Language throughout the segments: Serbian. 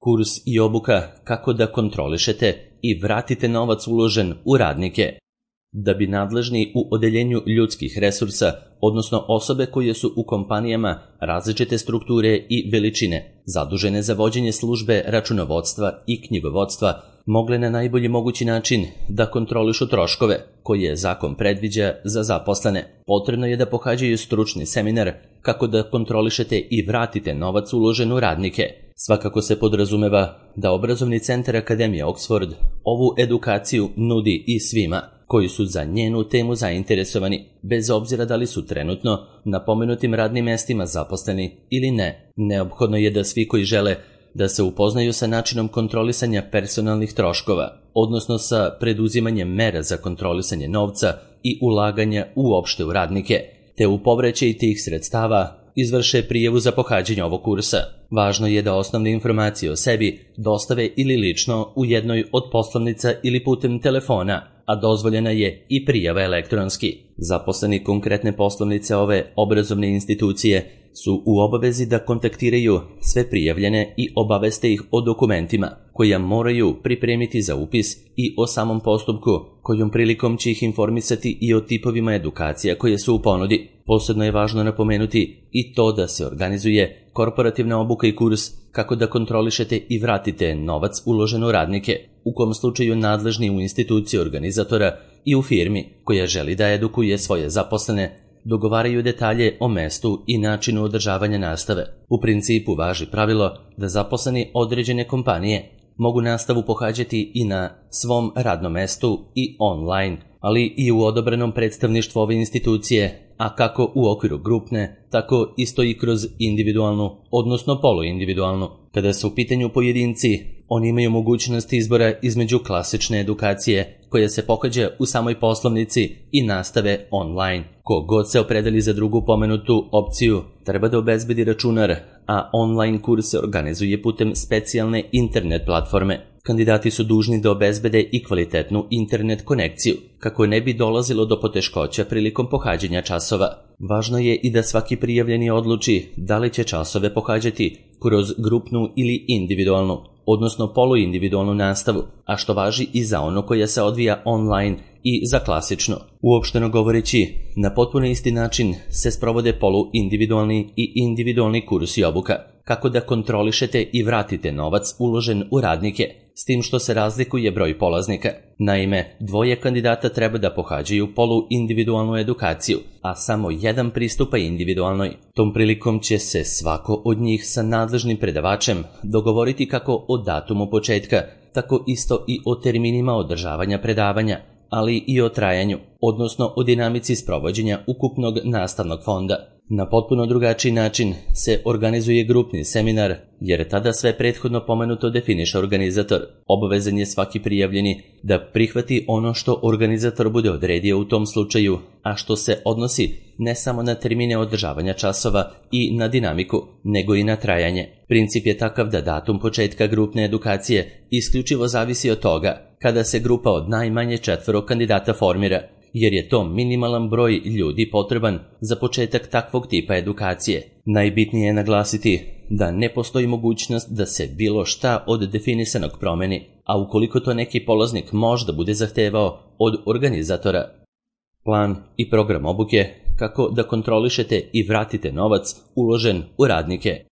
Kurs i obuka kako da kontrolišete i vratite novac uložen u radnike. Da bi nadležni u odeljenju ljudskih resursa, odnosno osobe koje su u kompanijama različite strukture i veličine, zadužene za vođenje službe računovodstva i knjigovodstva, mogle na najbolji mogući način da kontrolišu troškove koje zakon predviđa za zaposlene, potrebno je da pohađaju stručni seminar kako da kontrolišete i vratite novac uložen u radnike. Svakako se podrazumeva da obrazovni centar Akademije Oxford ovu edukaciju nudi i svima koji su za njenu temu zainteresovani, bez obzira da li su trenutno na pomenutim radnim mestima zaposleni ili ne. Neophodno je da svi koji žele da se upoznaju sa načinom kontrolisanja personalnih troškova, odnosno sa preduzimanjem mera za kontrolisanje novca i ulaganja uopšte u radnike, te u povraćaj tih sredstava izvrše prijavu za pohađanje ovog kursa. Važno je da osnovne informacije o sebi dostave ili lično u jednoj od poslovnica ili putem telefona, a dozvoljena je i prijava elektronski. Zaposleni konkretne poslovnice ove obrazovne institucije su u obavezi da kontaktiraju sve prijavljene i obaveste ih o dokumentima koja moraju pripremiti za upis i o samom postupku, kojom prilikom će ih informisati i o tipovima edukacija koje su u ponudi. Posebno je važno napomenuti i to da se organizuje korporativna obuka i kurs kako da kontrolišete i vratite novac uložen u radnike, u kom slučaju nadležni u instituciji organizatora i u firmi koja želi da edukuje svoje zaposlene dogovaraju detalje o mestu i načinu održavanja nastave. U principu važi pravilo da zaposleni određene kompanije mogu nastavu pohađati i na svom radnom mestu i online, ali i u odobrenom predstavništvu ove institucije, a kako u okviru grupne, tako isto i kroz individualnu, odnosno poluindividualnu. Kada su u pitanju pojedinci, oni imaju mogućnost izbora između klasične edukacije koja se pohađa u samoj poslovnici i nastave online. Ko god se opredeli za drugu pomenutu opciju, treba da obezbedi računar, a online kurs se organizuje putem specijalne internet platforme. Kandidati su dužni da obezbede i kvalitetnu internet konekciju, kako ne bi dolazilo do poteškoća prilikom pohađanja časova. Važno je i da svaki prijavljeni odluči da li će časove pohađati kroz grupnu ili individualnu, odnosno poluindividualnu nastavu, a što važi i za ono koja se odvija online i za klasično. Uopšteno govoreći, na potpuno isti način se sprovode poluindividualni i individualni kurs i obuka, kako da kontrolišete i vratite novac uložen u radnike, s tim što se razlikuje broj polaznika. Naime, dvoje kandidata treba da pohađaju poluindividualnu edukaciju, a samo jedan pristupa individualnoj. Tom prilikom će se svako od njih sa nadležnim predavačem dogovoriti kako o datumu početka, tako isto i o terminima održavanja predavanja, ali i o trajanju, odnosno o dinamici sprovođenja ukupnog nastavnog fonda. Na potpuno drugačiji način se organizuje grupni seminar, jer tada sve prethodno pomenuto definiše organizator. Obavezan je svaki prijavljeni da prihvati ono što organizator bude odredio u tom slučaju, a što se odnosi ne samo na termine održavanja časova i na dinamiku, nego i na trajanje. Princip je takav da datum početka grupne edukacije isključivo zavisi od toga kada se grupa od najmanje 4 kandidata formira, jer je to minimalan broj ljudi potreban za početak takvog tipa edukacije. Najbitnije je naglasiti da ne postoji mogućnost da se bilo šta od definisanog promeni, a ukoliko to neki polaznik možda bude zahtevao od organizatora. Plan i program obuke kako da kontrolišete i vratite novac uložen u radnike.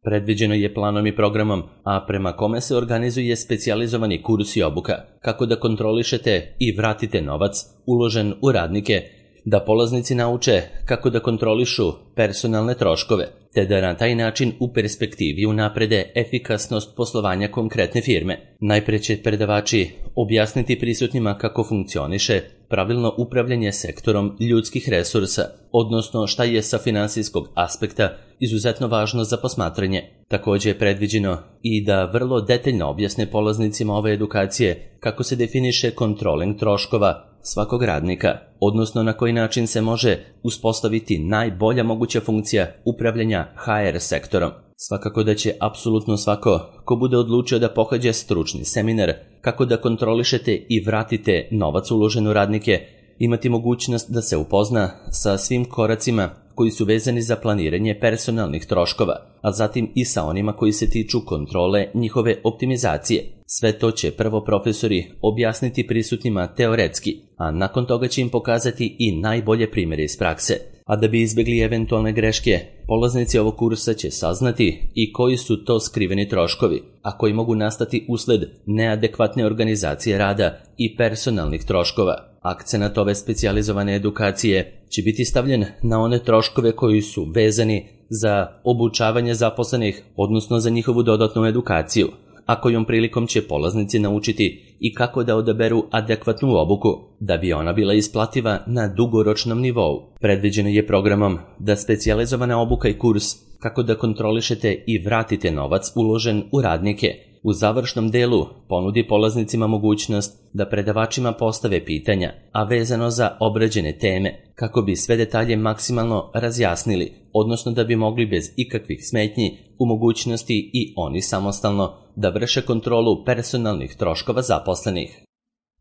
Predviđeno je planom i programom, a prema kome se organizuje specijalizovani kurs i obuka, kako da kontrolišete i vratite novac uložen u radnike, da polaznici nauče kako da kontrolišu personalne troškove, te da na taj način u perspektivi unaprede efikasnost poslovanja konkretne firme. Najpre će predavači objasniti prisutnima kako funkcioniše pravilno upravljanje sektorom ljudskih resursa, odnosno šta je sa finansijskog aspekta izuzetno važno za posmatranje. Također je predviđeno i da vrlo detaljno objasne polaznicima ove edukacije kako se definiše kontroling troškova svakog radnika, odnosno na koji način se može uspostaviti najbolja moguća funkcija upravljanja HR sektorom. Svakako da će apsolutno svako ko bude odlučio da pohađa stručni seminar kako da kontrolišete i vratite novac uložen u radnike imati mogućnost da se upozna sa svim koracima koji su vezani za planiranje personalnih troškova, a zatim i sa onima koji se tiču kontrole njihove optimizacije. Sve to će prvo profesori objasniti prisutnima teoretski, a nakon toga će im pokazati i najbolje primjere iz prakse. A da bi izbjegli eventualne greške, polaznici ovog kursa će saznati i koji su to skriveni troškovi, a koji mogu nastati usled neadekvatne organizacije rada i personalnih troškova. Akcenat ove specijalizovane edukacije će biti stavljen na one troškove koji su vezani za obučavanje zaposlenih, odnosno za njihovu dodatnu edukaciju, a kojom prilikom će polaznici naučiti i kako da odaberu adekvatnu obuku, da bi ona bila isplativa na dugoročnom nivou. Predviđeno je programom da specijalizovana obuka i kurs kako da kontrolišete i vratite novac uložen u radnike u završnom delu ponudi polaznicima mogućnost da predavačima postave pitanja, a vezano za obrađene teme, kako bi sve detalje maksimalno razjasnili, odnosno da bi mogli bez ikakvih smetnji u mogućnosti i oni samostalno da vrše kontrolu personalnih troškova zaposlenih.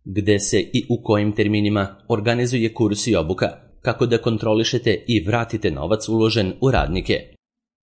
Gde se i u kojim terminima organizuje kurs i obuka, kako da kontrolišete i vratite novac uložen u radnike.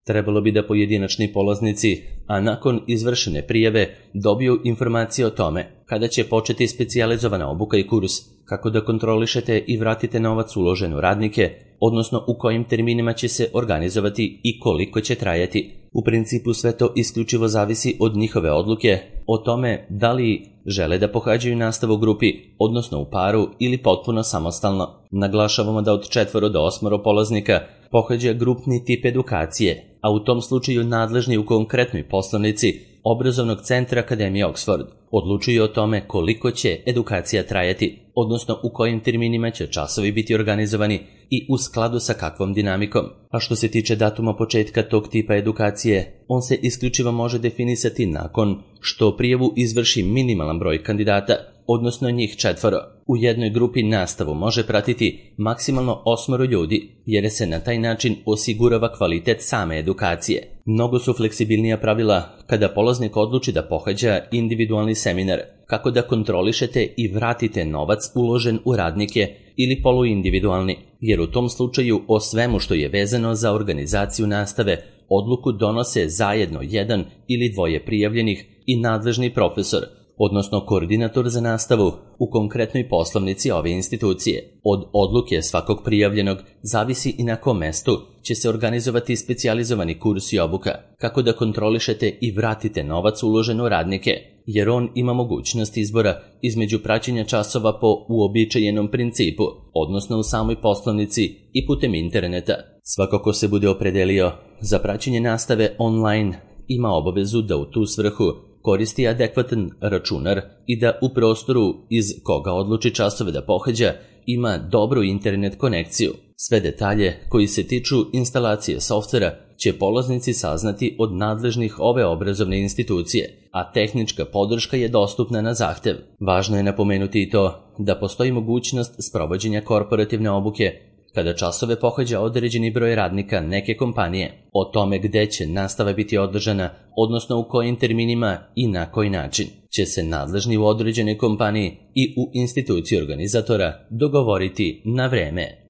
Trebalo bi da pojedinačni polaznici, a nakon izvršene prijave, dobiju informacije o tome kada će početi specijalizovana obuka i kurs, kako da kontrolišete i vratite novac uložen u radnike, odnosno u kojim terminima će se organizovati i koliko će trajati. U principu sve to isključivo zavisi od njihove odluke o tome da li žele da pohađaju nastavu u grupi, odnosno u paru ili potpuno samostalno. Naglašavamo da od 4 do 8 polaznika pohađa grupni tip edukacije, a u tom slučaju nadležni u konkretnoj poslovnici obrazovnog centra Akademije Oxford odlučuju o tome koliko će edukacija trajati, odnosno u kojim terminima će časovi biti organizovani i u skladu sa kakvom dinamikom. A što se tiče datuma početka tog tipa edukacije, on se isključivo može definisati nakon što prijavu izvrši minimalan broj kandidata, odnosno njih 4. U jednoj grupi nastavu može pratiti maksimalno 8 ljudi, jer se na taj način osigurava kvalitet same edukacije. Mnogo su fleksibilnija pravila kada polaznik odluči da pohađa individualni seminar, kako da kontrolišete i vratite novac uložen u radnike ili poluindividualni, jer u tom slučaju o svemu što je vezano za organizaciju nastave odluku donose zajedno jedan ili dvoje prijavljenih i nadležni profesor, odnosno koordinator za nastavu u konkretnoj poslovnici ove institucije. Od odluke svakog prijavljenog zavisi i na kom mestu će se organizovati specijalizovani kurs i obuka, kako da kontrolišete i vratite novac uložen u radnike, jer on ima mogućnost izbora između praćenja časova po uobičajenom principu, odnosno u samoj poslovnici i putem interneta. Svako ko se bude opredelio za praćenje nastave online ima obavezu da u tu svrhu koristi adekvatan računar i da u prostoru iz koga odluči časove da pohađa ima dobru internet konekciju. Sve detalje koji se tiču instalacije softvera će polaznici saznati od nadležnih ove obrazovne institucije, a tehnička podrška je dostupna na zahtev. Važno je napomenuti i to da postoji mogućnost sprovođenja korporativne obuke kada časove pohađa određeni broj radnika neke kompanije. O tome gde će nastava biti održana, odnosno u kojim terminima i na koji način, će se nadležni u određenoj kompaniji i u instituciji organizatora dogovoriti na vreme.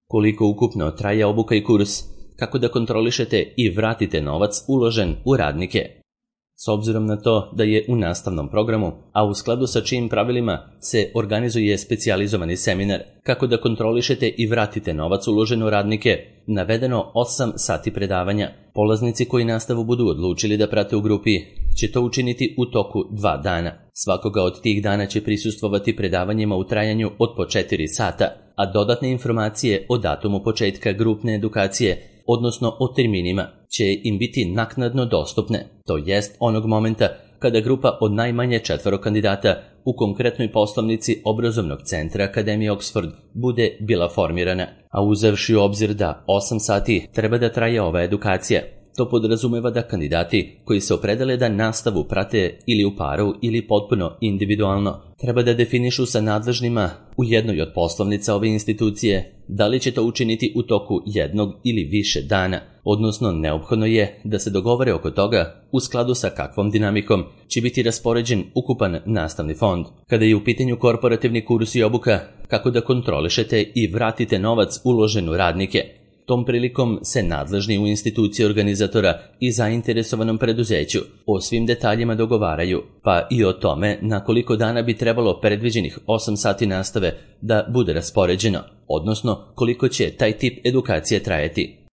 Koliko ukupno traje obuka i kurs, kako da kontrolišete i vratite novac uložen u radnike. S obzirom na to da je u nastavnom programu, a u skladu sa čijim pravilima se organizuje specijalizovani seminar, kako da kontrolišete i vratite novac uložen u radnike, navedeno 8 sati predavanja. Polaznici koji nastavu budu odlučili da prate u grupi će to učiniti u toku 2 dana. Svakoga od tih dana će prisustvovati predavanjima u trajanju od po 4 sata, a dodatne informacije o datumu početka grupne edukacije, odnosno o terminima, će im biti naknadno dostupne, to jest onog momenta kada grupa od najmanje 4 kandidata u konkretnoj poslovnici obrazovnog centra Akademije Oxford bude bila formirana, a uzevši u obzir da 8 sati treba da traje ova edukacija. To podrazumeva da kandidati koji se opredele da nastavu prate ili u paru ili potpuno individualno, treba da definišu sa nadležnima u jednoj od poslovnica ove institucije da li će to učiniti u toku jednog ili više dana, odnosno neophodno je da se dogovore oko toga u skladu sa kakvom dinamikom će biti raspoređen ukupan nastavni fond. Kada je u pitanju korporativni kurs i obuka, kako da kontrolišete i vratite novac uložen u radnike, Tom prilikom se nadležni u instituciji organizatora i zainteresovanom preduzeću o svim detaljima dogovaraju, pa i o tome na koliko dana bi trebalo predviđenih 8 sati nastave da bude raspoređeno, odnosno koliko će taj tip edukacije trajati.